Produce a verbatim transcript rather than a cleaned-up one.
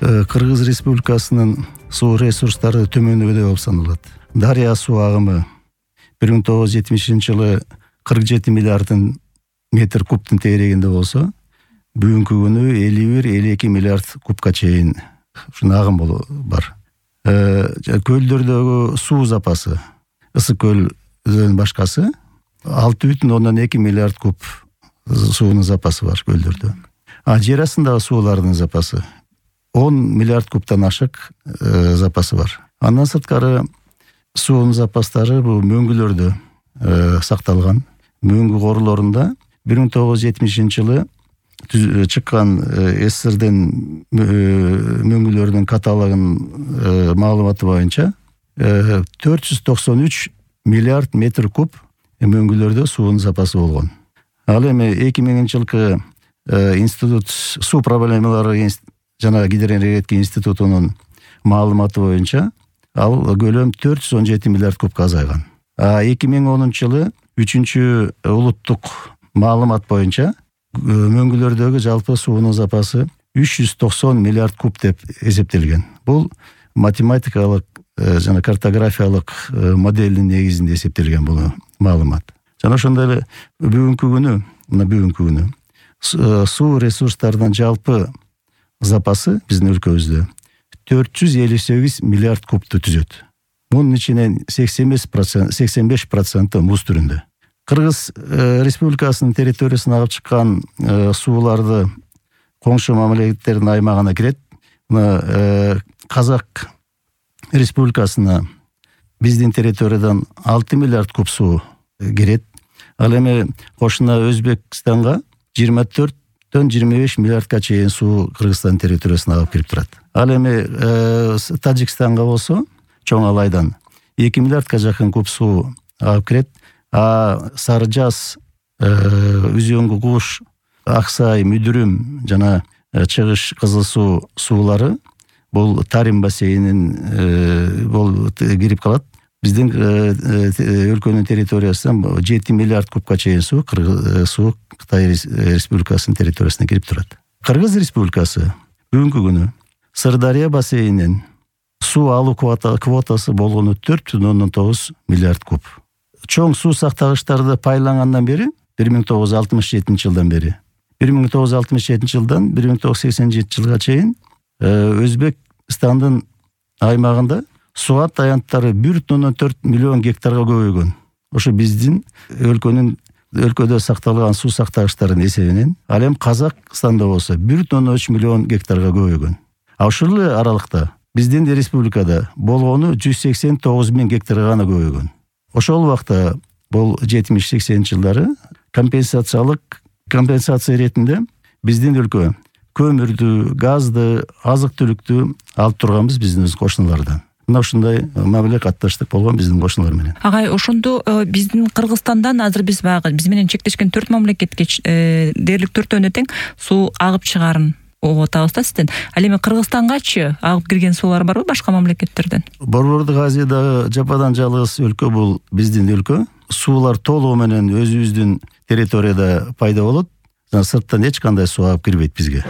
Кыргыз Республикасынын суу ресурстары төмөндөгүдөй болуп саналат. Дарыя суу агымы бир миң тогуз жүз жетимишинчи жылы кырк жети миллиардын метр кубтун тегерегинде болсо, бүгүнкү күнү элүү бир элүү эки миллиард кубка чейин ушул агым бар. Көлдөрдөгү суу запасы, Ысык көлдөн башкасы алты бүтүн ондон эки миллиард куб суунун запасы бар көлдөрдө. А жер астындагы суулардын запасы он миллиард кубтан ашык запасы бар. Андан сырткары суунун запастары бул мөңгүлөрдө сакталган. Мөңгү корлорунда бир миң тогуз жүз жетимишинчи жылы чыккан СССРдин мөңгүлөрүнүн каталогунун маалыматы боюнча төрт жүз токсон үч миллиард метр куб мөңгүлөрдө суунун запасы болгон. Ал эми эки миңинчи жылкы институт суу проблемалары жана гидроэнергетика институтунун маалыматы боюнча ал көлөм төрт жүз он жети миллиард кубка азайган. А эки миң онунчу жылы үчүнчү улуттук маалымат боюнча мөңгүлөрдөгү жалпы суунун запасы үч жүз токсон миллиард куб деп эсептелген. Бул математикалык жана картографиялык моделдин негизинде эсептелген бул маалымат. Жана ошондой эле бүгүнкү күнү, мына бүгүнкү күнү суу ресурстарынын жалпы запасы биздин өлкөбүздө төрт жүз элүү сегиз миллиард кубту түзөт. Мунун ичинен сексен беш проценти муз түрүндө. Кыргыз Республикасынын территориясына алып чыккан сууларды коңшу мамлекеттердин аймагына кирет. Мына Казак Республикасына биздин территориядан алты миллиард куб суу кирет. Ал эми кошуна Өзбекстанга жыйырма төрттөн жыйырма беш миллиардка чейин суу Кыргызстан территориясына алып кирип турат. Ал эми Тажикстанга болсо чоң алайдан эки миллиардка жакын куб суу алып кирет. А Сары Жаз, Үзөңгү Куш, Аксай, Мүдүрүм жана Чыгыш Кызыл суу суулары бул Тарим бассейнин бул кирип калат. Биздин өлкөнүн территориясынан жети миллиард кубка чейин суу суу Кытай Республикасынын территориясына кирип турат. Кыргыз Республикасы бүгүнкү күнү Сырдария бассейнинин суу алуу квотасы болгону төрт бүтүн ондон тогуз миллиард куб. Чоң суу сактагычтарды пайдалангандан бери бир миң тогуз жүз алтымыш жетинчи жылдан бери бир миң тогуз жүз алтымыш жетинчи жылдан бир миң тогуз жүз сексен жетинчи жылга чейин Өзбекстандын аймагында суат аянттары бир бүтүн ондон төрт миллион гектарга көбөйгөн. Ошо биздин өлкөнүн өлкөдө сакталган суу сактагычтардын эсебинен ал эми Казакстанда болсо бир бүтүн ондон үч миллион гектарга көбөйгөн. А ушул эле аралыкта биздин республикада болгону жүз сексен тогуз миң гектарга гана көбөйгөн. Ошол убакта бул жетимиш сексенинчи жылдары компенсациялык компенсация иретинде биздин өлкө көмүрдү, газды, азык-түлүктү алып турганбыз биздин кошуналардан. Мына ушундай мамиле катташтык болгон биздин кошуналар менен. Агай, ошондо биздин Кыргызстандан азыр биз баягы биз менен чектешкен төрт мамлекетке дээрлик төртөөнө тең суу агып чыгарын угуп атабыз да сизден. Ал эми Кыргызстангачы агып кирген суулар барбы башка мамлекеттерден? Борбордук Азиядагы жападан жалгыз өлкө бул биздин өлкө. Суулар толугу менен өзүбүздүн территорияда пайда болот. Сырттан эч кандай суу агып кирбейт бизге.